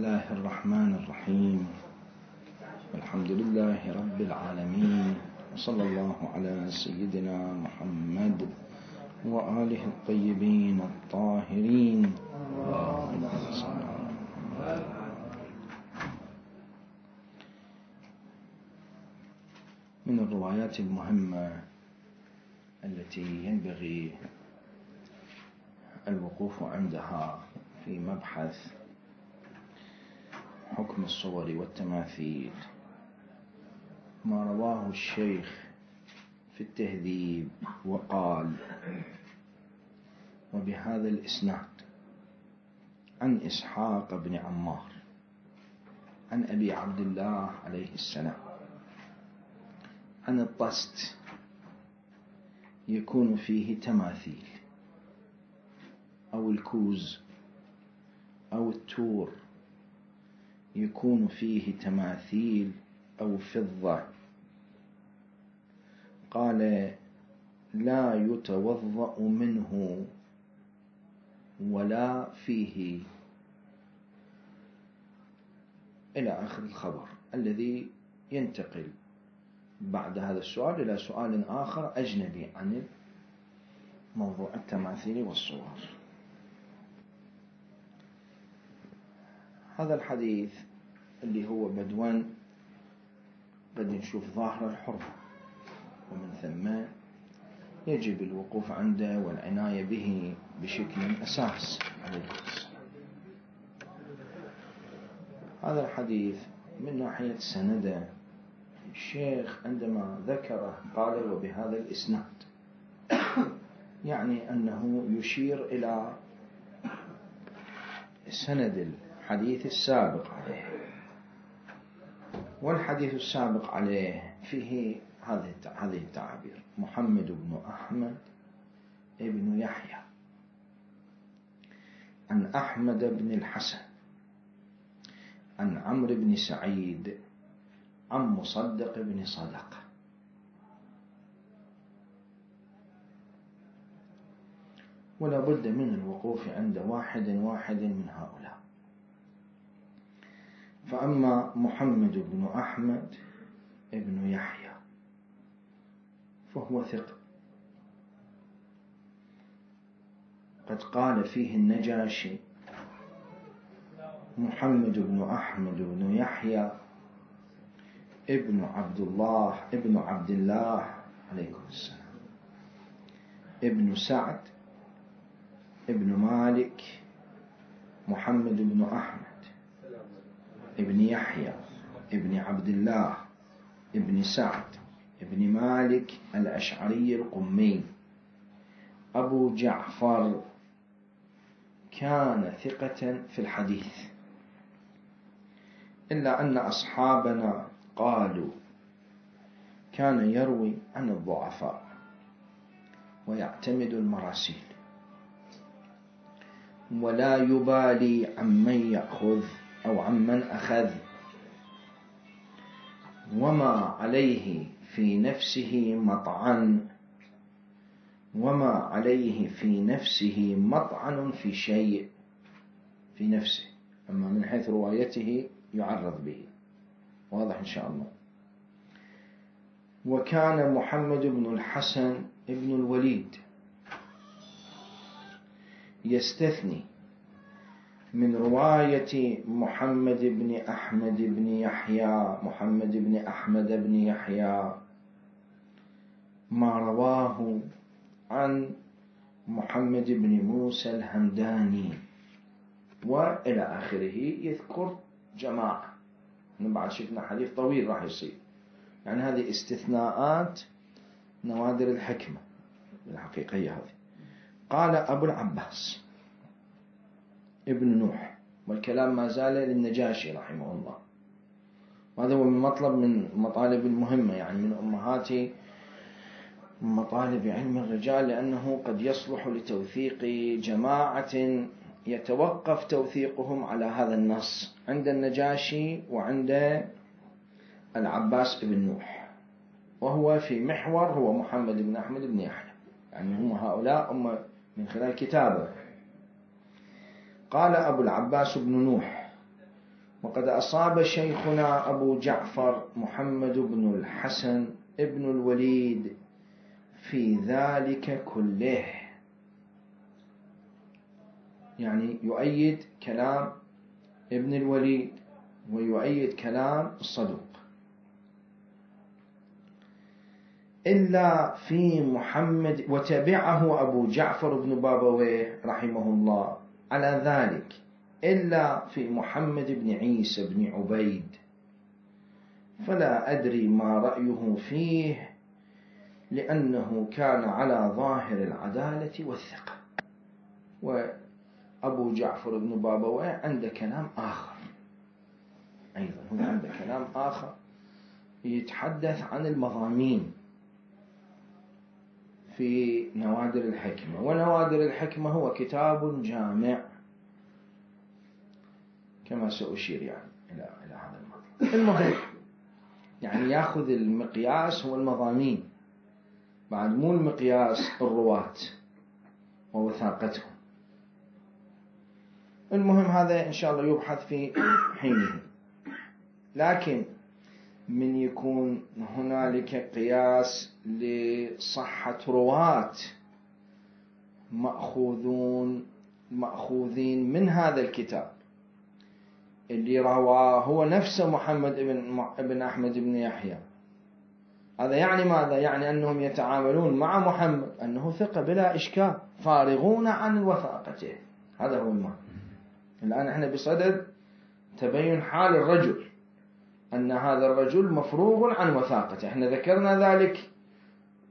الله الرحمن الرحيم. الحمد لله رب العالمين، وصلى الله على سيدنا محمد وآله الطيبين الطاهرين. من الروايات المهمة التي ينبغي الوقوف عندها في مبحث حكم الصور والتماثيل ما رواه الشيخ في التهذيب وقال: وبهذا الإسناد عن إسحاق بن عمار عن أبي عبد الله عليه السلام عن الطست يكون فيه تماثيل، أو الكوز أو التور يكون فيه تماثيل أو فضة، قال: لا يتوضأ منه ولا فيه، إلى آخر الخبر الذي ينتقل بعد هذا السؤال إلى سؤال آخر أجنبي عن موضوع التماثيل والصور. هذا الحديث اللي هو بدء نشوف ظاهر الحرمة، ومن ثم يجب الوقوف عنده والعناية به بشكل أساس. هذا الحديث من ناحية سنده الشيخ عندما ذكره قال: وبهذا الإسناد، يعني أنه يشير إلى سند الحديث السابق عليه، والحديث السابق عليه فيه هذه التعابير: محمد بن أحمد ابن يحيى عن أحمد بن الحسن عن عمرو بن سعيد عن مصدق بن صدقة. ولا بد من الوقوف عند واحد من هؤلاء. فأما محمد بن أحمد ابن يحيى فهو ثقة، قد قال فيه النجاشي: محمد بن أحمد بن يحيى ابن عبد الله عليكم السلام ابن سعد ابن مالك محمد بن أحمد ابن يحيى ابن عبد الله ابن سعد ابن مالك الأشعري القمي أبو جعفر، كان ثقة في الحديث، إلا أن أصحابنا قالوا كان يروي عن الضعفاء ويعتمد المراسيل، ولا يبالي عمن يأخذ أو عمن أخذ، وما عليه في نفسه مطعن في شيء في نفسه، أما من حيث روايته يعرض به، واضح إن شاء الله. وكان محمد بن الحسن ابن الوليد يستثني من رواية محمد بن أحمد بن يحيى ما رواه عن محمد بن موسى الهمداني، وإلى آخره، يذكر جماعة. بعد شفنا حديث طويل راح يصير، يعني هذه استثناءات نوادر الحكمة الحقيقية هذه. قال أبو العباس ابن نوح، والكلام ما زال للنجاشي رحمه الله، وهذا هو من مطلب من مطالب المهمة، يعني من أمهات مطالب علم الرجال، لأنه قد يصلح لتوثيق جماعة يتوقف توثيقهم على هذا النص عند النجاشي وعند العباس بن نوح، وهو في محور هو محمد بن أحمد بن يحيى، يعني هم هؤلاء من خلال كتابه. قال أبو العباس بن نوح: وقد أصاب شيخنا أبو جعفر محمد بن الحسن ابن الوليد في ذلك كله، يعني يؤيد كلام ابن الوليد ويؤيد كلام الصدوق. إلا في محمد، وتبعه أبو جعفر بن بابويه رحمه الله على ذلك، إلا في محمد بن عيسى بن عبيد، فلا أدري ما رأيه فيه، لأنه كان على ظاهر العدالة والثقة. وأبو جعفر بن بابويه عنده كلام آخر أيضا، هو عنده كلام آخر يتحدث عن المضامين في نوادر الحكمة. ونوادر الحكمة هو كتاب جامع كما سأشير يعني إلى هذا الموضوع. المهم يعني يأخذ المقياس هو المضامين، بعد مو المقياس الرواة ووثاقتهم. المهم هذا إن شاء الله يبحث في حينه. لكن من يكون هنالك قياس لصحة رواة مأخوذين من هذا الكتاب اللي رواه هو نفسه محمد بن أحمد بن يحيى، هذا يعني ماذا؟ يعني أنهم يتعاملون مع محمد أنه ثقة بلا إشكال، فارغون عن وثاقته. هذا هو المعنى. الآن احنا بصدد تبين حال الرجل، أن هذا الرجل مفروغ عن وثاقته. احنا ذكرنا ذلك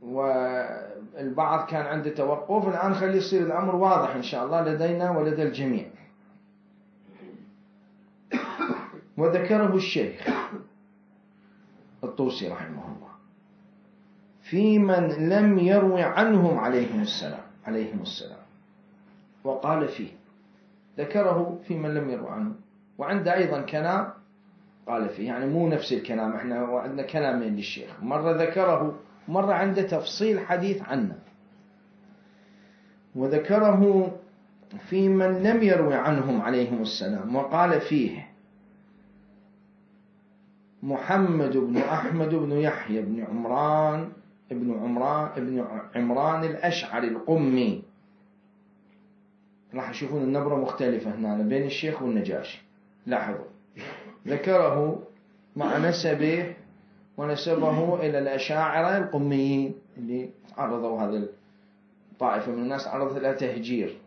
والبعض كان عنده توقف، الآن خلي يصير الأمر واضح إن شاء الله لدينا ولدى الجميع. وذكره الشيخ الطوسي رحمه الله في من لم يروي عنهم عليهم السلام، وقال فيه، ذكره في من لم يروي عنهم، وعنده أيضا كلام قال فيه، يعني مو نفس الكلام. احنا عندنا كلامين للشيخ، مرة ذكره مرة عنده تفصيل حديث عنه. وذكره في من لم يروي عنهم عليهم السلام، وقال فيه محمد بن أحمد بن يحيى بن عمران الأشعري القمي. راح تشوفون النبرة مختلفة هنا بين الشيخ والنجاشي، لاحظوا. ذكره مع نسبه ونسبه إلى الأشاعرة القميين اللي عرضوا هذا الطائفة من الناس، عرضت لها تهجير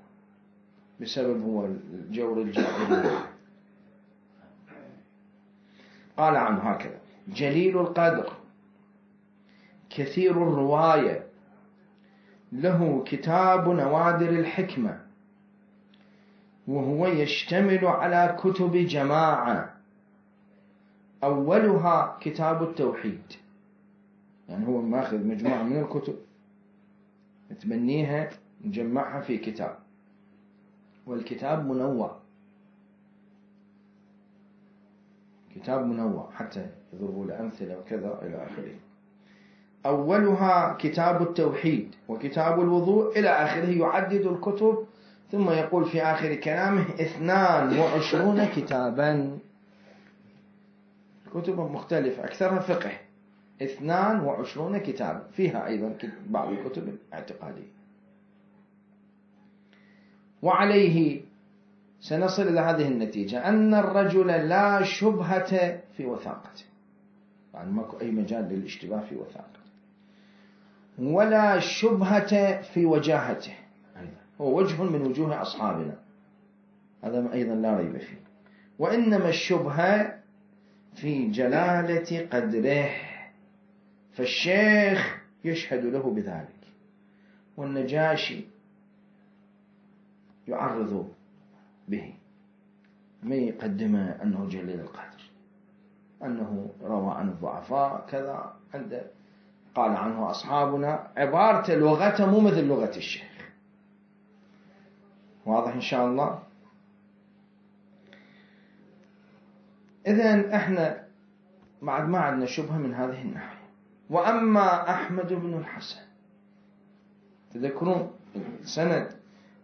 بسبب هو الجور الجاهلي. قال عنه هكذا: جليل القدر، كثير الرواية، له كتاب نوادر الحكمة، وهو يشتمل على كتب جماعة، أولها كتاب التوحيد. يعني هو ماخذ مجموعة من الكتب يتبنيها نجمعها في كتاب، والكتاب منوع، كتاب منوع حتى يضربوا الأمثلة وكذا إلى آخره. أولها كتاب التوحيد وكتاب الوضوء إلى آخره، يعدد الكتب، ثم يقول في آخر كلامه 22 كتابا، كتب مختلفة أكثرها فقه، 22 كتابا، فيها أيضا بعض الكتب الاعتقادية. وعليه سنصل إلى هذه النتيجة: أن الرجل لا شبهة في وثاقته، يعني ماكو أي مجال للاشتباه في وثاقته، ولا شبهة في وجاهته، هو وجه من وجوه أصحابنا، هذا أيضا لا ريب فيه. وإنما الشبهة في جلالة قدره، فالشيخ يشهد له بذلك، والنجاشي يعرض به، ما يقدمه أنه جليل القدر، أنه روى عن الضعفاء كذا، عنده قال عنه أصحابنا، عبارته لغته مو مثل لغة الشيخ. واضح إن شاء الله؟ إذن إحنا بعد ما عندنا شبهة من هذه الناحية. وأما أحمد بن الحسن، تذكرون سند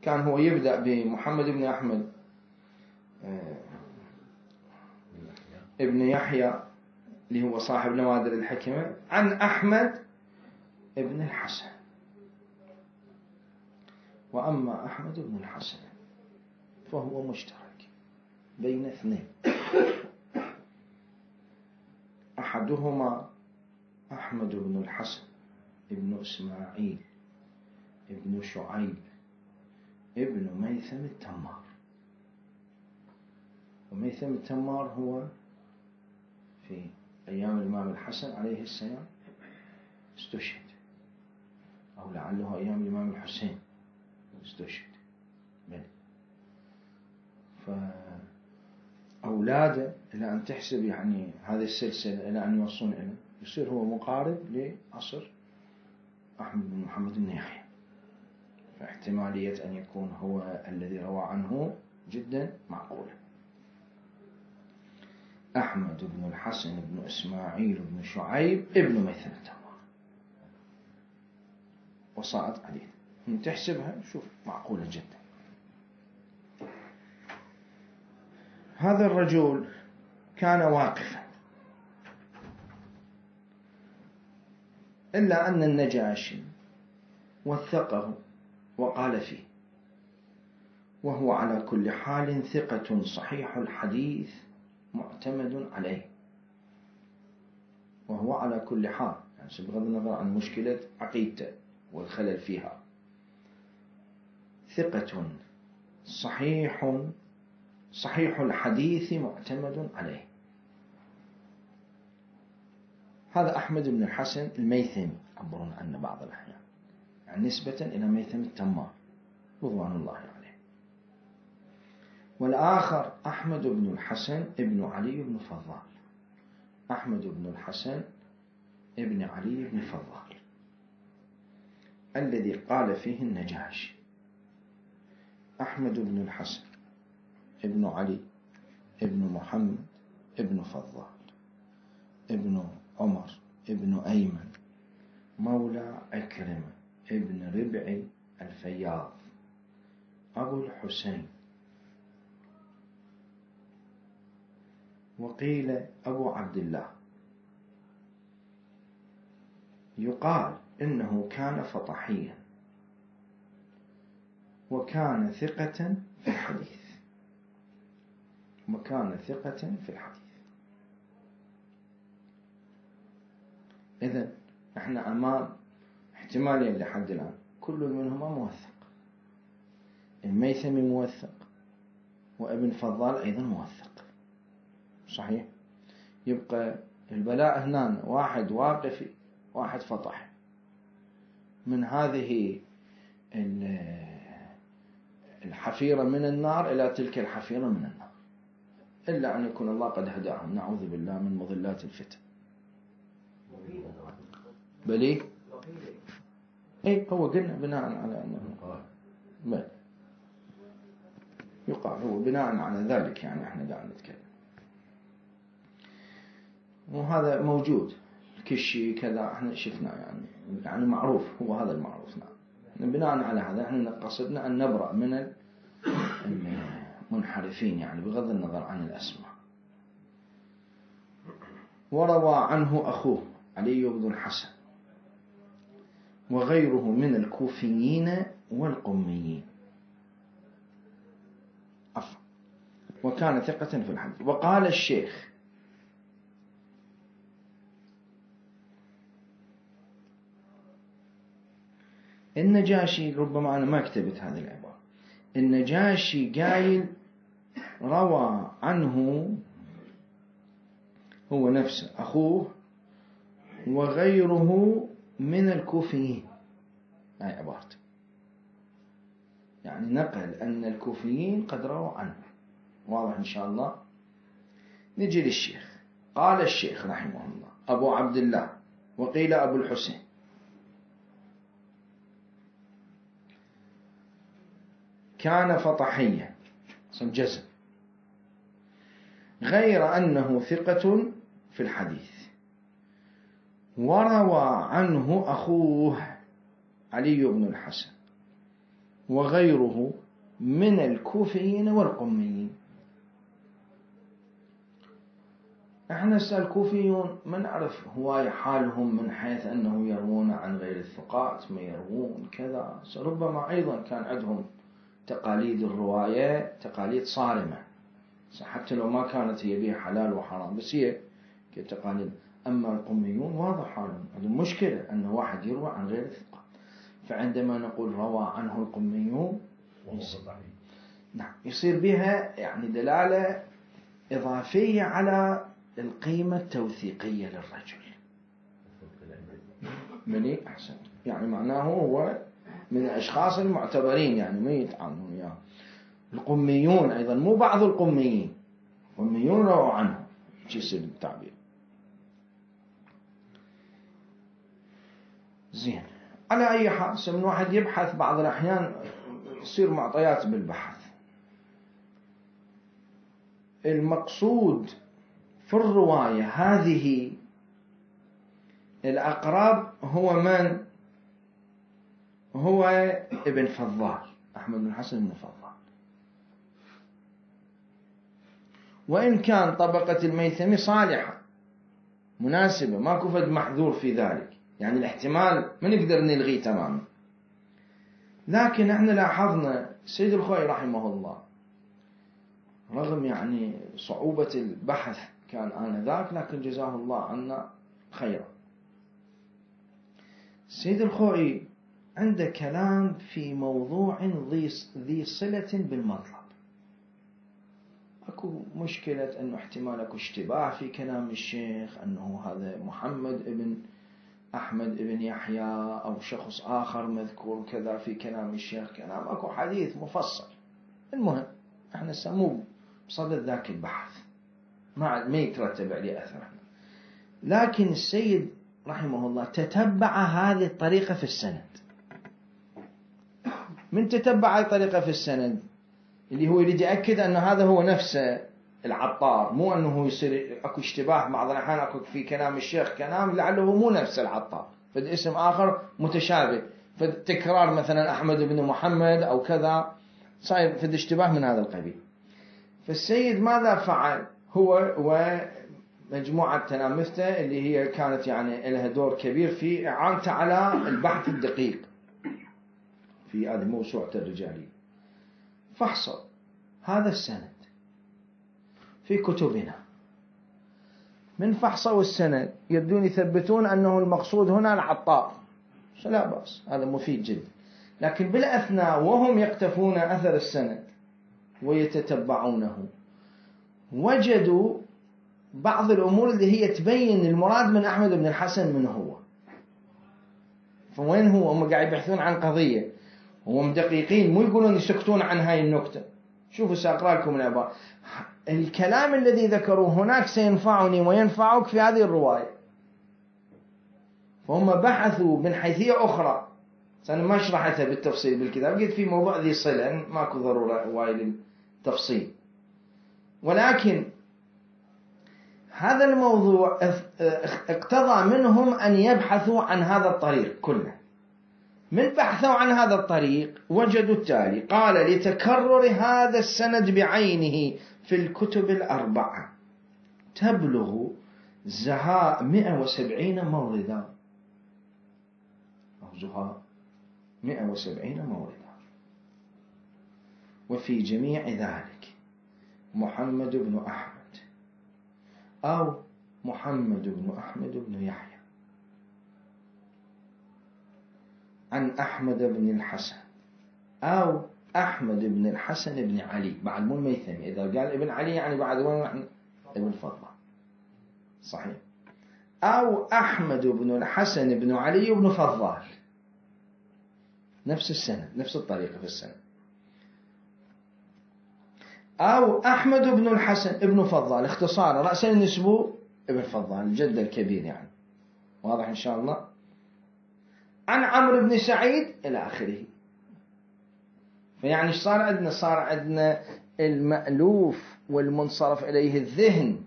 كان هو يبدأ بمحمد بن أحمد ابن يحيى اللي هو صاحب نوادر الحكمة عن أحمد ابن الحسن. وأما أحمد بن الحسن فهو مشترك بين اثنين، أحدهما أحمد بن الحسن ابن إسماعيل ابن شعيب ابن ميثم التمار. وميثم التمار هو في أيام الإمام الحسن عليه السلام استشهد، أو لعله أيام الإمام الحسين استشهد. فأولاده إلى أن تحسب يعني هذه السلسلة إلى أن يوصلون إلى يصير هو مقارب لعصر أحمد بن محمد بن يحيى، فاحتمالية أن يكون هو الذي روى عنه جدا معقولة. أحمد بن الحسن بن إسماعيل بن شعيب ابن ميثم التمار، وصارت عليه من تحسبها شوف معقولة جدا. هذا الرجل كان واقفا، إلا أن النجاشي وثقه وقال فيه: وهو على كل حال ثقة صحيح الحديث معتمد عليه. وهو على كل حال يعني بغض النظر عن مشكلة عقيدته والخلل فيها، ثقة صحيح الحديث معتمد عليه. هذا أحمد بن الحسن الميثمي يعبرون عنه بعض الأحيان، يعني نسبة إلى ميثم التمار رضوان الله عليه. والآخر أحمد بن الحسن ابن علي بن فضال، أحمد بن الحسن ابن علي بن فضال الذي قال فيه النجاشي: أحمد بن الحسن ابن علي ابن محمد ابن فضال ابن عمر ابن أيمن مولى عكرمة ابن ربعي الفياض أبو الحسين، وقيل أبو عبد الله. يقال إنه كان فطحيا وكان ثقة في الحديث، إذن احنا أمام احتمالين لحد الآن، كل منهما موثق. الميثمي موثق، وابن فضال أيضا موثق، صحيح. يبقى البلاء هنا واحد واقفي واحد فطح، من هذه الحفيرة من النار إلى تلك الحفيرة من النار، إلا أن يكون الله قد هداهم، نعوذ بالله من مضلات الفتن. بلي اي هو قلنا بناء على أنه يقال هو بناء على ذلك، يعني احنا قاعد نتكلم، وهذا موجود كشي كذا احنا شفنا، يعني معروف، هو هذا المعروف. نعم، بناء على هذا احنا قصدنا أن نبرأ من المنحرفين، يعني بغض النظر عن الأسماء. وروى عنه أخوه علي بن الحسن وغيره من الكوفيين والقميين، وكان ثقة في الحديث. وقال الشيخ: النجاشي، ربما أنا ما كتبت هذه العبارة، النجاشي قايل روى عنه هو نفسه أخوه وغيره من الكوفيين، هاي عبارته، يعني نقل أن الكوفيين قد رووا عنه. واضح إن شاء الله. نجي للشيخ. قال الشيخ رحمه الله: أبو عبد الله، وقيل أبو الحسين، كان فطحيا جزم، غير أنه ثقة في الحديث. وروى عنه أخوه علي بن الحسن وغيره من الكوفيين والقميين. احنا الكوفيون ما نعرف هواية حالهم من حيث أنه يروون عن غير الثقات، ما يروون كذا. ربما أيضا كان عندهم تقاليد الرواية تقاليد صارمة، حتى لو ما كانت هي بها حلال وحرام، بس هي كتقاليد. أما القميون واضح حالهم عندهم مشكلة أن واحد يروى عن غير الثقات، فعندما نقول روى عنه القميون نعم يصير بها يعني دلالة إضافية على القيمة التوثيقية للرجل. مني أحسن، يعني معناه هو من الأشخاص المعتبرين، يعني ما يتعاملون وياه. القميون أيضا مو بعض القميين، قميون رووا عنه، شو يصير التعبير. زين، على أي حال من واحد يبحث بعض الأحيان يصير معطيات بالبحث. المقصود في الرواية هذه الأقرب هو من؟ هو ابن فضال، أحمد بن الحسن بن فضال. وإن كان طبقة الميثمي صالحة مناسبة، ما كفد محذور في ذلك، يعني الاحتمال ما نقدر نلغيه تماما. لكن احنا لاحظنا السيد الخوئي رحمه الله رغم يعني صعوبة البحث كان آنذاك، لكن جزاه الله عنا خيرا. السيد الخوئي عنده كلام في موضوع ذي صلة بالمطلب. اكو مشكلة انه احتمال اكو اشتباه في كلام الشيخ، انه هذا محمد ابن احمد ابن يحيى او شخص اخر مذكور كذا في كلام الشيخ، كلام اكو حديث مفصل. المهم احنا سموه بصدد ذاك البحث، ما يترتب عليه اثر. لكن السيد رحمه الله تتبع هذه الطريقة في السند. من تتبع هذه الطريقة في السند اللي هو يريد يأكد أن هذا هو نفسه العطار، مو أنه يصير أكو اشتباه بعض الأحيان أكو في كلام الشيخ كلام لعله مو نفس العطار، فد اسم آخر متشابه، فد تكرار مثلا أحمد بن محمد أو كذا، صاير فد اشتباه من هذا القبيل. فالسيد ماذا فعل؟ هو ومجموعة تلامذته اللي هي كانت يعني لها دور كبير في إعانته على البحث الدقيق في هذه موسوعة الرجالية، فحصوا هذا السند في كتبنا. من فحصوا السند يبدون يثبتون أنه المقصود هنا العطار، لا بأس، هذا مفيد جدا. لكن بالأثناء وهم يقتفون أثر السند ويتتبعونه وجدوا بعض الأمور اللي هي تبين المراد من أحمد بن الحسن من هو. فوين هو؟ هم قاعد يبحثون عن قضية، هم دقيقين، مو يقولون يسكتون عن هاي النكتة. شوفوا سأقرأ لكم العبارة. الكلام الذي ذكروه هناك سينفعني وينفعك في هذه الرواية. فهم بحثوا من حيثية أخرى، أنا ما شرحتها بالتفصيل بالكتاب، قلت في موضوع ذي صلة ماكو ضرورة وايد للتفصيل، ولكن هذا الموضوع اقتضى منهم أن يبحثوا عن هذا الطريق كله. من بحثوا عن هذا الطريق وجدوا التالي: قال: لتكرر هذا السند بعينه في الكتب الأربعة تبلغ زهاء 170 موردا، أو زهاء 170 موردا. وفي جميع ذلك محمد بن أحمد أو محمد بن أحمد بن يحيى عن أحمد بن الحسن أو أحمد بن الحسن بن علي، بعد مو الميثمي، إذا قال ابن علي يعني بعد وين؟ ابن فضل، صحيح، أو أحمد بن الحسن بن علي بن فضال، نفس السنة نفس الطريقة في السنة، أو أحمد بن الحسن ابن فضال، اختصارا رأسا نسبه ابن فضال الجد الكبير يعني، واضح إن شاء الله، عن عمرو بن سعيد إلى آخره. فيعني صار عندنا المألوف والمنصرف إليه الذهن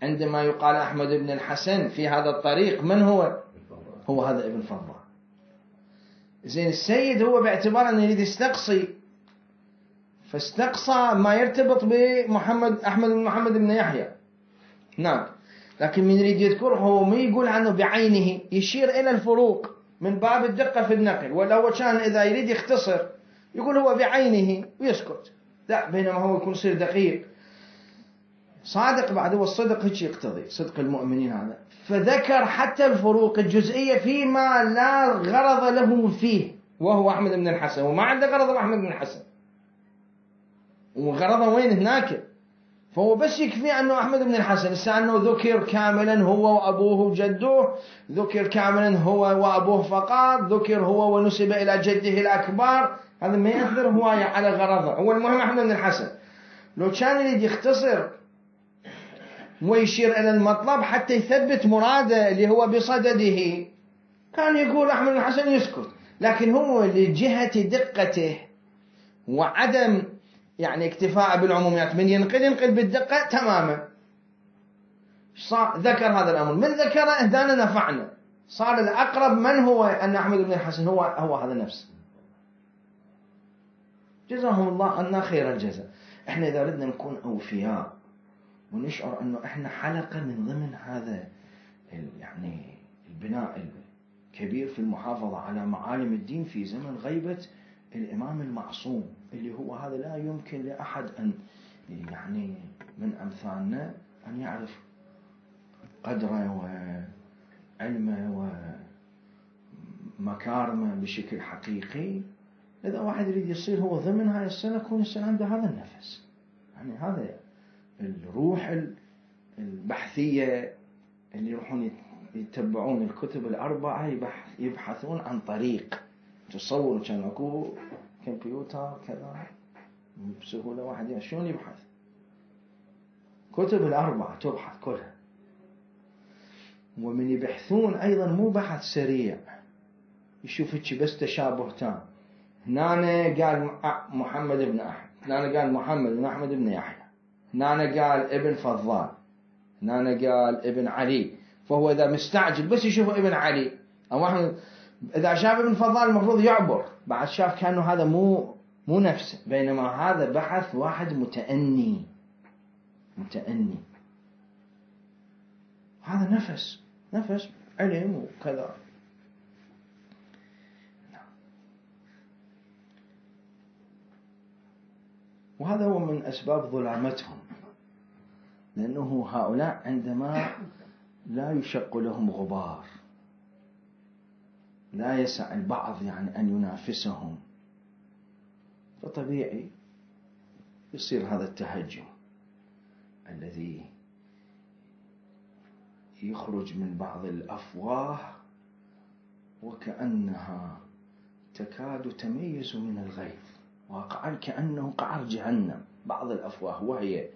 عندما يقال أحمد بن الحسن في هذا الطريق من هو؟ هو هذا ابن فضال. زين، السيد هو باعتبار أنه يريد يستقصي، فاستقصى ما يرتبط بمحمد أحمد بن محمد بن يحيى. نعم، لكن من يريد يذكر هو ما يقول عنه بعينه، يشير إلى الفروق من باب الدقة في النقل. ولا هو كان إذا يريد يختصر يقول هو بعينه ويسكت، لا، بينما هو يكون يصير دقيق صادق. بعد هو الصدق هيك يقتضي صدق المؤمنين هذا. فذكر حتى الفروق الجزئية فيما لا غرض له فيه، وهو أحمد بن الحسن، وما عنده غرض أحمد بن الحسن، وغرضه وين هناك. فهو بس يكفي أنه أحمد بن الحسن، أنه ذكر كاملا هو وأبوه وجده، ذكر كاملا هو وأبوه فقط، ذكر هو ونسب إلى جده الأكبر، هذا ما يأثر هواية على غرضه. هو المهم أحمد بن الحسن. لو كان يريد يختصر ويشير إلى المطلب حتى يثبت مراده اللي هو بصدده، كان يقول أحمد بن الحسن يسكت. لكن هو لجهة دقته وعدم يعني اكتفاء بالعموميات، من ينقل بالدقة تماما. ذكر هذا الأمر، من ذكره اهدانا نفعنا، صار الأقرب من هو أن أحمد بن الحسن هو هذا نفسه. جزاهم الله عنا خير الجزاء. احنا إذا ردنا نكون أوفياء ونشعر أنه احنا حلقة من ضمن هذا يعني البناء الكبير في المحافظة على معالم الدين في زمن غيبة الإمام المعصوم، اللي هو هذا لا يمكن لأحد أن يعني من أمثالنا أن يعرف قدره وعلمه ومكارمه بشكل حقيقي. إذا واحد يريد يصير هو ضمن هاي السنة، يكون يصير عنده هذا النفس، يعني هذا الروح البحثية اللي يروحون يتبعون الكتب الأربعة، يبحثون عن طريق. تصور كان أكو كمبيوتر كذا بسهولة واحد شلون يبحث؟ كتب الأربعة تبحث كلها. ومن يبحثون أيضا مو بحث سريع، يشوف بس تشابه تام. هنا قال محمد بن أحمد، هنا قال محمد بن أحمد بن يحيى، هنا قال ابن فضال، هنا قال ابن علي. فهو إذا مستعجل بس يشوف ابن علي أو أحمد، إذا شاف ابن فضال المفروض يعبر، بعد شاف كأنه هذا مو نفسه، بينما هذا بحث واحد متأني. هذا نفس علم وكذا. وهذا هو من أسباب ظلامتهم، لأنه هؤلاء عندما لا يشق لهم غبار، لا يسع البعض يعني أن ينافسهم، فطبيعي يصير هذا التهجم الذي يخرج من بعض الأفواه وكأنها تكاد تميز من الغيظ، واقعا كأنه قعر جهنم. بعض الأفواه وهي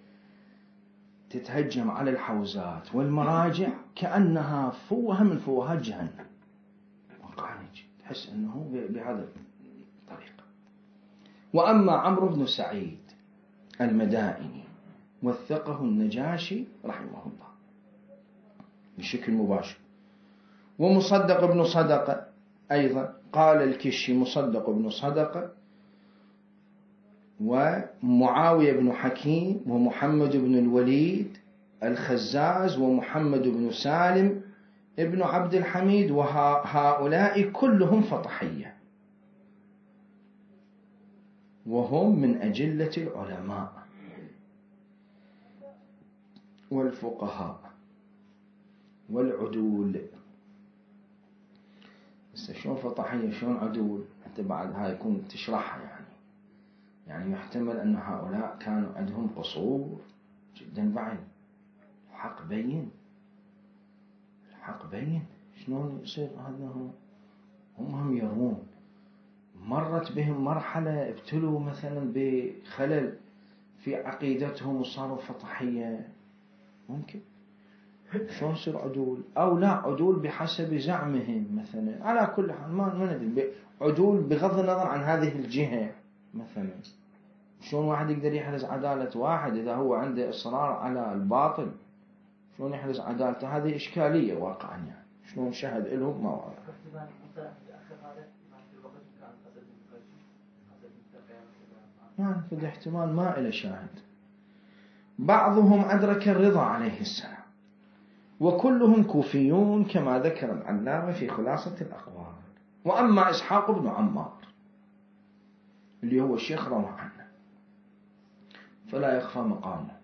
تتهجم على الحوزات والمراجع كأنها فوهة من فوهات جهنم، واقعا تحس أنه بهذا الطريقة. وأما عمرو بن سعيد المدائني وثقه النجاشي رحمه الله بشكل مباشر، ومصدق بن صدقة أيضا قال الكشي مصدق بن صدقة، ومعاوية بن حكيم، ومحمد بن الوليد الخزاز، ومحمد بن سالم ابن عبد الحميد، وهؤلاء كلهم فطحية، وهم من أجلة العلماء والفقهاء والعدول. بس شلون فطحية شلون عدول؟ أنت بعد هاي يكون تشرحها، يعني يحتمل أن هؤلاء كانوا عندهم قصور جدا بعيد. الحق بين شلون يصير هذا؟ هم يرون مرت بهم مرحلة ابتلوا مثلا بخلل في عقيدتهم وصاروا فطحية، ممكن شلون يصير عدول؟ أو لا عدول بحسب زعمهم مثلا. على كل حال ما ندري، عدول بغض النظر عن هذه الجهة مثلا. شلون واحد يقدر يحرز عدالة واحد إذا هو عنده إصرار على الباطل؟ شلون يحرز عدالته؟ هذه إشكالية واقعا، يعني شلون شهد لهم ما واضح. يعني في احتمال ما إلى شاهد. بعضهم أدرك الرضا عليه السلام، وكلهم كوفيون كما ذكر العلامة في خلاصة الأقوال. وأما إسحاق بن عمار اللي هو الشيخ روى عنه فلا يخفى مقامه،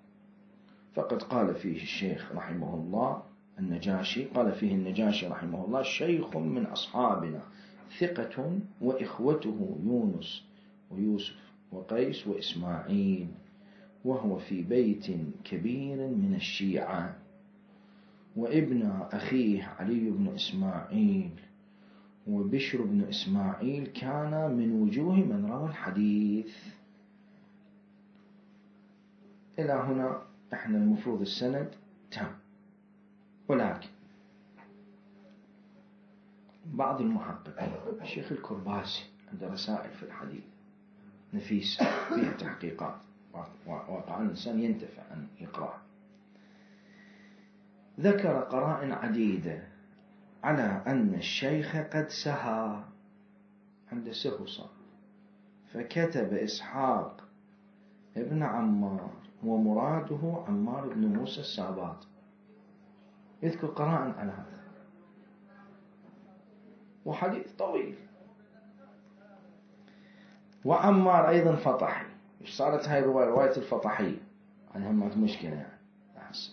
فقد قال فيه الشيخ رحمه الله النجاشي، قال فيه النجاشي رحمه الله: شيخ من أصحابنا ثقة وإخوته يونس ويوسف وقيس وإسماعيل، وهو في بيت كبير من الشيعة، وابن أخيه علي بن إسماعيل وبشر بن إسماعيل كان من وجوه من روى الحديث. إلى هنا احنا المفروض السند تام. ولكن بعض المحققين، الشيخ الكرباسي عنده رسائل في الحديث نفيسة فيها تحقيقات واقعا الإنسان ينتفع أن يقرأ، ذكر قرائن عديدة على أن الشيخ قد سهى، عنده سهو صار، فكتب إسحاق ابن عمار ومراده عمار بن موسى الساباط. يذكر قرائن على هذا، وحديث طويل. وعمار أيضا فطحي. إيش صارت هاي رواية الفطحية؟ عنها ما في مشكلة يعني أحسن.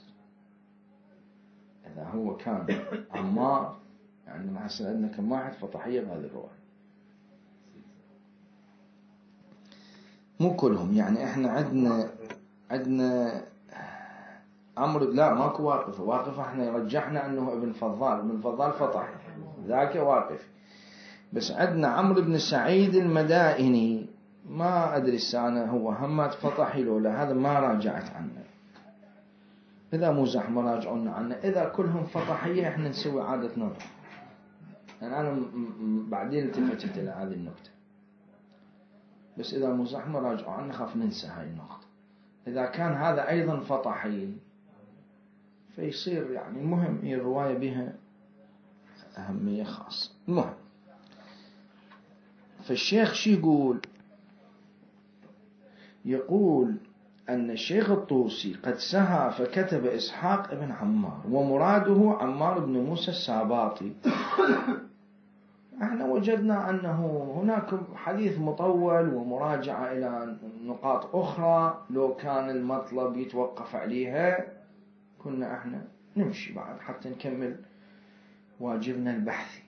إذا هو كان عمار يعني أحسن عندنا كم واحد فطحية بهذه الرواية، مو كلهم يعني. إحنا عندنا عمرو، لا ماكو واقفة احنا رجحنا أنه ابن فضال فطحي، ذاك واقف. بس عندنا عمرو بن سعيد المدائني، ما أدري السنة هو همات فطحي لولا، هذا ما راجعت عنه. إذا مو زحمة راجعون عنه. إذا كلهم فطحية احنا نسوي عادة نظر، يعني أنا بعدين التفتت إلى هذه النقطة. بس إذا مو زحمة راجعوا عنه، خاف ننسى هاي النقطة. إذا كان هذا أيضا فطحي فيصير يعني المهم هي الرواية بها أهمية خاصة. المهم، فالشيخ شي يقول أن الشيخ الطوسي قد سهى فكتب إسحاق ابن عمار ومراده عمار بن موسى الساباطي. احنا وجدنا أنه هناك حديث مطول ومراجعة إلى نقاط أخرى، لو كان المطلب يتوقف عليها كنا احنا نمشي بعد حتى نكمل واجبنا البحثي.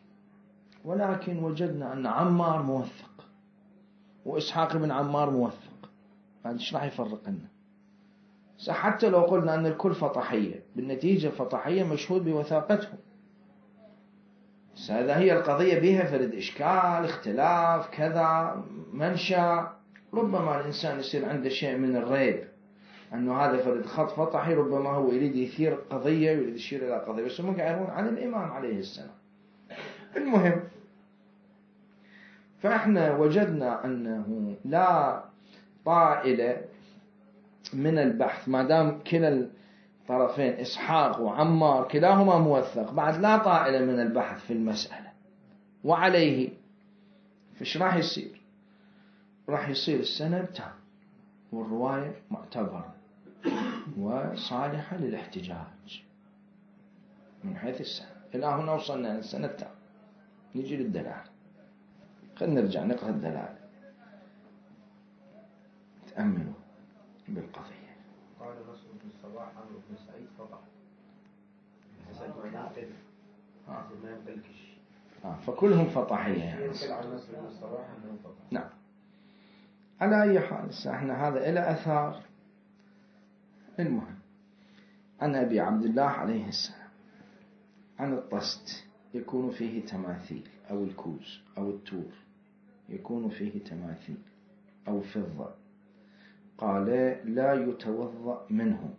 ولكن وجدنا أن عمار موثق وإسحاق بن عمار موثق، هذا ايش راح يفرق لنا؟ حتى لو قلنا أن الكل فطحية، بالنتيجة فطحية مشهود بوثاقتهم. هذا هي القضية بها فرد إشكال، اختلاف، كذا، منشأ. ربما الإنسان يصير عنده شيء من الريب أنه هذا فرد خط فطحي، ربما هو يريد يثير قضية ويريد يشير إلى قضية، بس هم قاعدون عن الإمام عليه السلام. المهم، فإحنا وجدنا أنه لا طائلة من البحث ما دام كلا الطرفين إسحاق وعمار كلاهما موثق، بعد لا طائلة من البحث في المسألة. وعليه فإيش راح يصير؟ راح يصير السند تام والرواية معتبرة وصالحة للاحتجاج من حيث السند. إلى هنا وصلنا للسند تام. نجي للدلالة. خلينا نرجع نقرأ الدلالة، تأملوا بالقضية. قال نصر بن الصباح عمرو بن سعيد فطح ما يمتلكش. فكلهم فطحية يعني. نصر بن الصباح أنه فطح. نعم. على أي حال احنا هذا إلى أثار. المهم، عن أبي عبد الله عليه السلام عن الطست يكون فيه تماثيل، أو الكوز أو التور يكون فيه تماثيل أو فضة، قال لا يتوضأ منه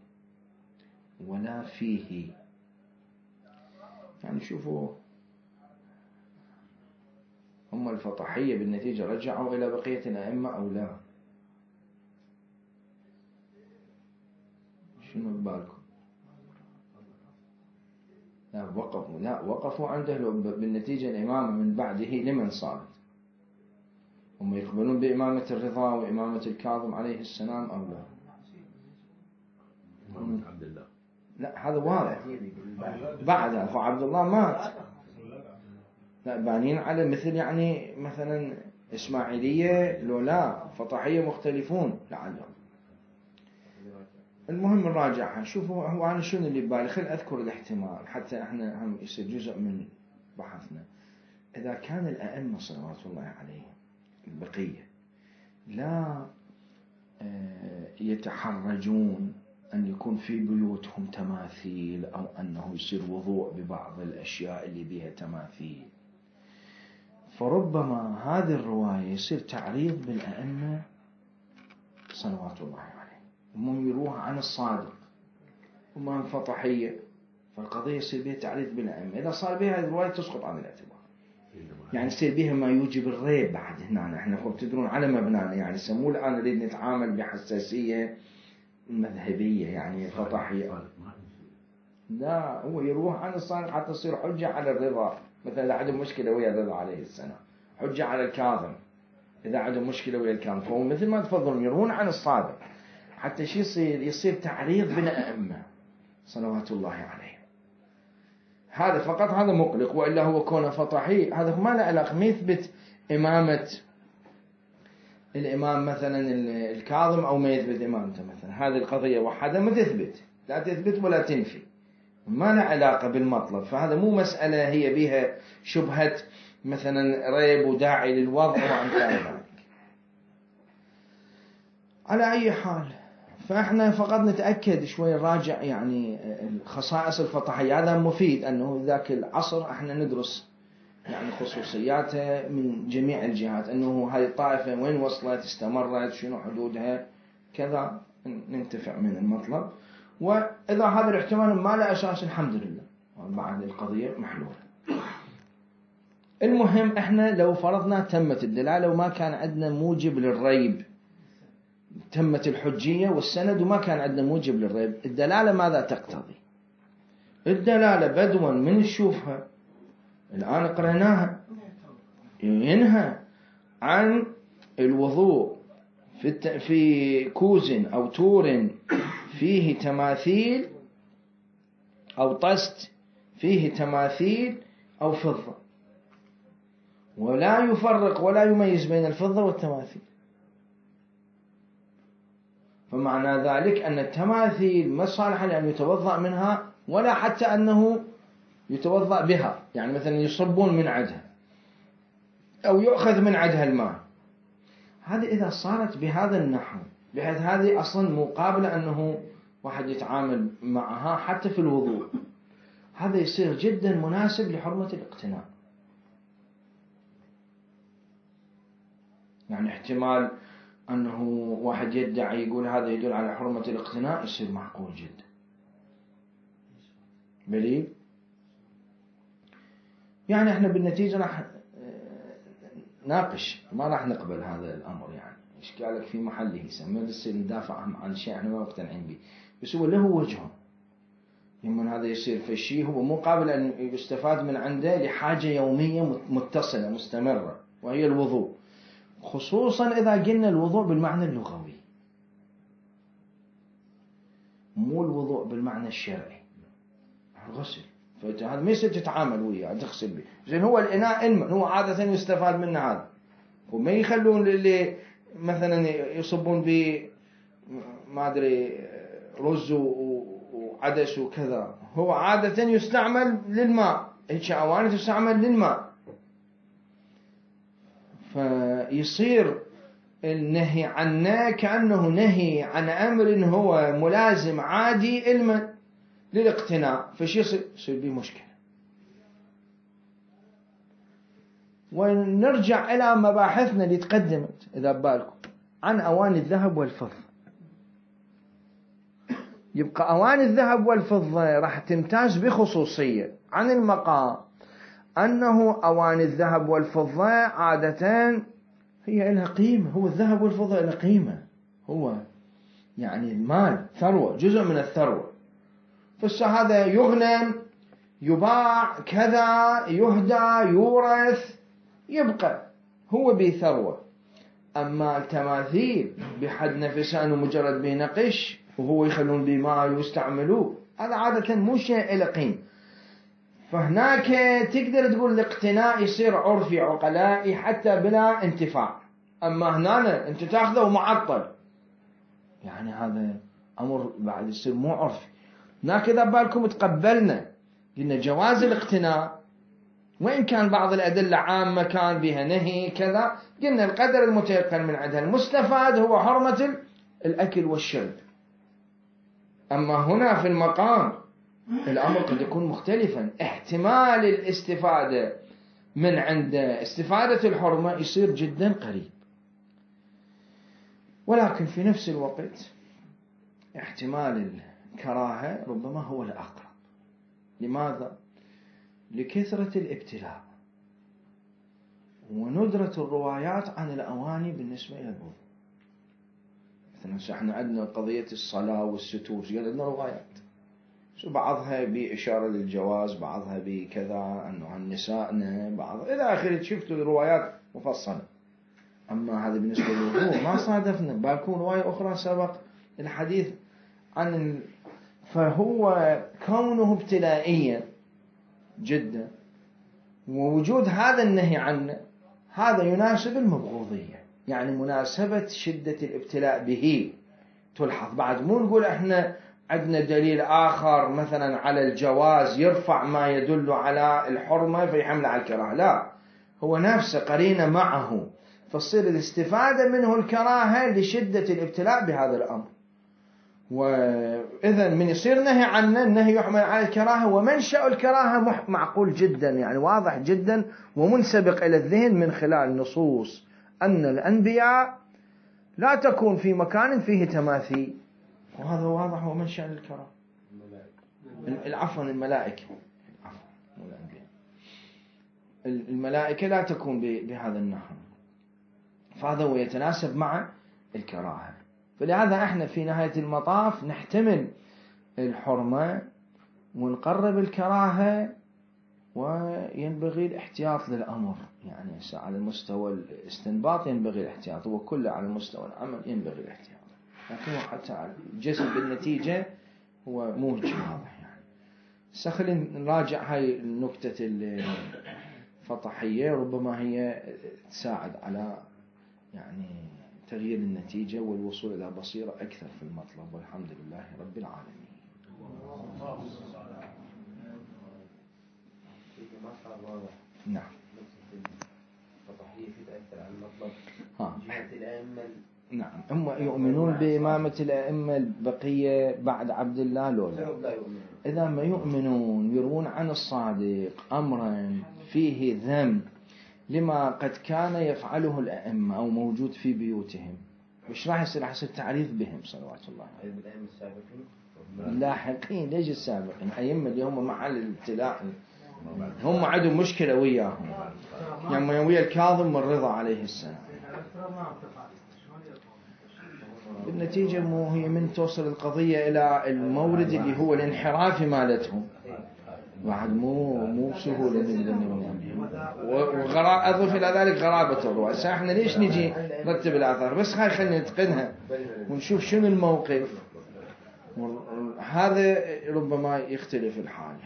ولا فيه. يعني شوفوا، هم الفطحية بالنتيجة رجعوا إلى بقية الأئمة أو لا؟ شنو ببالكم؟ لا وقفوا عنده بالنتيجة الإمامة من بعده لمن صارت؟ هم يقبلون بإمامة الرضا وإمامة الكاظم عليه السلام أو لا؟ إمامة عبد الله. لا هذا واضح. بعد أخو عبد الله مات، لا بانين على مثل يعني مثلا إسماعيلية لو لا فطحية مختلفون لعلهم. المهم نراجعها. شوفوا هو أنا شنو اللي ببالي، خل أذكر الاحتمال حتى إحنا هم يصير جزء من بحثنا. إذا كان الأئمة صلوات الله عليهم البقية لا يتحرجون أن يكون في بيوتهم تماثيل أو أنه يصير وضوء ببعض الأشياء اللي بها تماثيل، فربما هذه الرواية يصير تعريض بالأئمة صلوات الله عليهم، هم يروها عن الصادق وما فطحية، فالقضية يصير بها تعريض بالأئمة. إذا صار بها هذه الرواية تسقط عن الاعتبار، يعني يصير بها ما يوجب الريب. بعد هنا احنا تدرون على مبنانا، يعني سموه الآن نريد نتعامل بحساسية مذهبية يعني فطحية. لا هو يروح عن الصادق حتى تصير حجة على الرضا، مثلا إذا عندهم مشكلة ويا الرضا عليه السلام، حجة على الكاظم إذا عندهم مشكلة ويا الكاظم. فهو مثل ما تفضلون يروون عن الصادق حتى شي يصير تعريض بالأئمة صلوات الله عليه. هذا فقط هذا مقلق، وإلا هو كونه فطحي هذا ما له علاقة، ما يثبت إمامة الإمام مثلا الكاظم أو ما يثبت إمامته مثلا. هذه القضية وحدها ما تثبت، لا تثبت ولا تنفي، ما له علاقة بالمطلب. فهذا مو مسألة هي بها شبهة مثلا ريب وداعي للوضع وأمثال ذلك. على أي حال فإحنا فقط نتأكد شوي نراجع يعني خصائص الفطحية. هذا مفيد أنه ذاك العصر إحنا ندرس يعني خصوصياتها من جميع الجهات، أنه هذه الطائفة وين وصلت، استمرت، شنو حدودها، كذا ننتفع من المطلب. وإذا هذا الاحتمال ما له أساس الحمد لله بعد القضية محلولة. المهم إحنا لو فرضنا تمت الدلالة وما كان عندنا موجب للريب، تمت الحجية والسند وما كان عندنا موجب للريب، الدلالة ماذا تقتضي؟ الدلالة بدوا من نشوفها الآن قرأناها ينهى عن الوضوء في كوز أو تور فيه تماثيل أو طست فيه تماثيل أو فضة، ولا يفرق ولا يميز بين الفضة والتماثيل. فمعنى ذلك أن التماثيل ما صالحة لأن يتوضأ منها ولا حتى أنه يتوضأ بها، يعني مثلا يصبون من عدها أو يؤخذ من عدها الماء. هذه إذا صارت بهذا النحو بحيث هذه أصلا مقابلة أنه واحد يتعامل معها حتى في الوضوء، هذا يصير جدا مناسب لحرمة الاقتناء. يعني احتمال أنه واحد يدعي يقول هذا يدل على حرمة الاقتناء يصير معقول جدا. بلي يعني احنا بالنتيجة راح ناقش، ما راح نقبل هذا الأمر. يعني إشكالك في محله، ما نصير ندافع عن شيء احنا ما مقتنعين به، بس هو له وجهه. يمكن هذا يصير في شيء هو مو قابل أن يستفاد من عنده لحاجة يومية متصلة مستمرة، وهي الوضوء، خصوصا إذا قلنا الوضوء بالمعنى اللغوي مو الوضوء بالمعنى الشرعي، الغسل. فهذا ما يصير تتعامل وياه تغسل به، زين هو الإناء الماء هو عادة يستفاد منه هذا، وما يخلون اللي مثلا يصبون به ما أدري رز وعدس وكذا، هو عادة يستعمل للماء، هيك أواني تستعمل للماء. فيصير النهي عنه كأنه نهي عن أمر هو ملازم عادي علما للاقتناء، فشي يصير به مشكلة. ونرجع إلى مباحثنا اللي تقدمت إذا بالكم عن أواني الذهب والفضة. يبقى أواني الذهب والفضة راح تمتاز بخصوصية عن المقام، أنه أواني الذهب والفضة عادة هي لها قيمة، هو الذهب والفضة لها قيمة، هو يعني المال ثروة، جزء من الثروة. فهذا يغنم يباع كذا يهدى يورث يبقى هو بثروة. أما التماثيل بحد نفسه أنه مجرد به نقش وهو يخلون به مال ويستعملوه، هذا عادة مو شيء له قيمة. فهناك تقدر تقول الاقتناء يصير عرفي عقلائي حتى بلا انتفاع. أما هنا أنت تأخذه ومعطل، يعني هذا أمر بعد يصير مو عرفي. هناك إذا بالكم تقبلنا قلنا جواز الاقتناء، وإن كان بعض الأدلة عامة كان بها نهي كذا، قلنا القدر المتيقن من عندها المستفاد هو حرمة الأكل والشرب. أما هنا في المقام الأمر قد يكون مختلفا، احتمال الاستفادة من عند استفادة الحرمة يصير جدا قريب، ولكن في نفس الوقت احتمال الكراهة ربما هو الأقرب. لماذا؟ لكثرة الابتلاء وندرة الروايات عن الأواني بالنسبة إلى الوضوء. مثلا احنا عندنا قضية الصلاة والستور، عندنا روايات بعضها بإشارة للجواز، بعضها بكذا أنه عن نسائنا، بعض إلى آخره، شفتوا الروايات مفصلة. أما هذا بالنسبة للوضوء ما صادفنا، بالكون رواية أخرى سبق الحديث عن فهو كونه ابتلائيا جدا، ووجود هذا النهي عنه هذا يناسب المبغوضية، يعني مناسبة شدة الابتلاء به تلحظ. بعد مو نقول احنا عندنا دليل آخر مثلا على الجواز يرفع ما يدل على الحرمة فيحمل على الكراهة، لا، هو نفسه قرينة معه، فتصير الاستفادة منه الكراهة لشدة الابتلاء بهذا الأمر. وإذا من يصير نهي عنه، النهي يحمل على الكراهة، ومنشأ الكراهة معقول جدا، يعني واضح جدا ومنسبق إلى الذهن من خلال نصوص أن الأنبياء لا تكون في مكان فيه تماثيل، وهذا واضح ومنشأ الكراهة. الملائكة الملائكة لا تكون بهذا النحو، فهذا هو يتناسب مع الكراهة. فلهذا احنا في نهاية المطاف نحتمل الحرمة ونقرب الكراهة، وينبغي الاحتياط للأمر. يعني على المستوى الاستنباط ينبغي الاحتياط، وكله على المستوى العمل ينبغي الاحتياط، لكن حتى الجسم بالنتيجة هو موجه واضح. يعني خلينا نراجع هاي النكتة الفطحية، ربما هي تساعد على يعني تغيير النتيجة والوصول إلى بصيرة أكثر في المطلب، والحمد لله رب العالمين. نعم. جهة الأئمة. نعم، هم يؤمنون بإمامة الأئمة البقية بعد عبد الله لولا. إذا ما يؤمنون يروون عن الصادق أمرا فيه ذم لما قد كان يفعله الأئمة أو موجود في بيوتهم، وش راح يصير؟ راح يصير تعريف بهم صلوات الله عليهم. الأئمة السابقين اللاحقين، ليش السابقين؟ أئمة اللي هم محل الابتلاء، هم عندهم مشكلة وياهم، يعني ويا الكاظم من رضا عليه السلام. بالنتيجة مو هي من توصل القضية إلى المورد اللي هو الانحراف مالتهم، واحد مو بسهولة أضف إلى ذلك غرابة الرواية. احنا ليش نجي نرتب الآثار؟ بس خلينا نتقنها ونشوف شنو الموقف، هذا ربما يختلف الحال.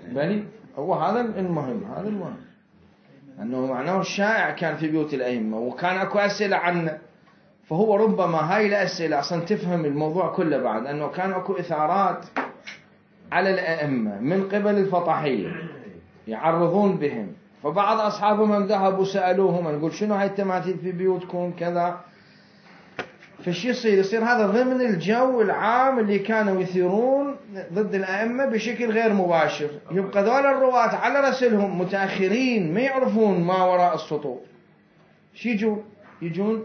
بني هو هذا المهم، هذا المهم أنه معناه الشائع كان في بيوت الأئمة، وكان أكو أسئلة عنه، فهو ربما هاي الأسئلة أصلا تفهم الموضوع كله بعد أنه كان أكو إثارات على الأئمة من قبل الفطحية يعرضون بهم، فبعض أصحابهم ذهبوا سألوهم، نقول شنو هاي التماثيل في بيوتكم كذا، فش يصير هذا ضمن الجو العام اللي كانوا يثيرون ضد الأئمة بشكل غير مباشر. يبقى ذول الرواة على رسلهم متأخرين ما يعرفون ما وراء السطور، يجون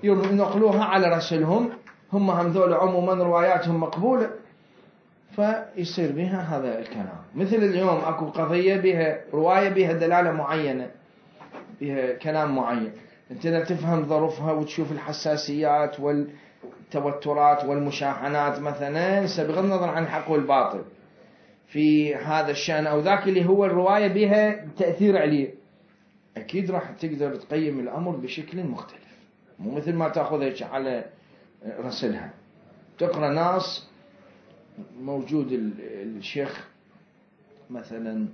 ينقلوها على رسلهم، هم ذول عموما رواياتهم مقبولة، فيصير بها هذا الكلام. مثل اليوم أكو قضية بها رواية بها دلالة معينة، بها كلام معين، انت لا تفهم ظروفها وتشوف الحساسيات والتوترات والمشاحنات مثلا، بغض النظر عن الحق والباطل في هذا الشأن أو ذاك اللي هو الرواية بها تأثير عليه، أكيد راح تقدر تقيم الأمر بشكل مختلف، مو مثل ما تأخذها على رسلها. تقرأ ناس موجود الشيخ مثلا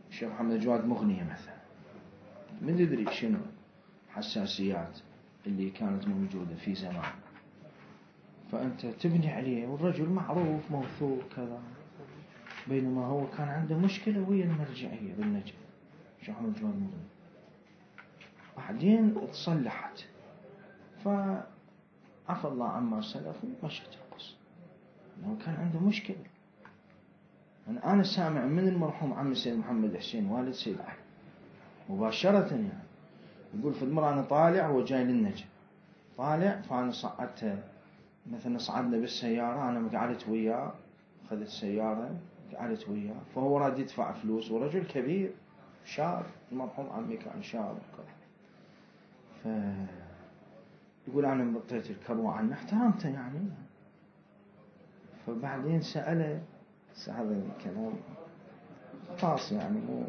الشيخ محمد جواد مغنية مثلا، من تدري شنو حساسيات اللي كانت موجودة في زمان، فأنت تبني عليه والرجل معروف موثوق كذا، بينما هو كان عنده مشكلة ويا المرجعية بالنجف الشيخ محمد جواد مغنية، بعدين تصلحت فعفى الله عما سلف ومشت القصة، لأنه كان عنده مشكلة. أنا سامع من المرحوم عمي سيد محمد حسين والد سيد علي مباشرة يعني يقول في المرة أنا طالع وجاي للنجف، طالع فأنا صعدت مثلا صعدنا بالسيارة، أنا قعدت وياه، أخذت سيارة قعدت وياه، فهو راد يدفع فلوس ورجل كبير شاب، المرحوم عمي كان شاب يقول أنا مطيت الكروة عنه احترمته يعني. فبعدين سأله هذا الكلام خاص يعني مو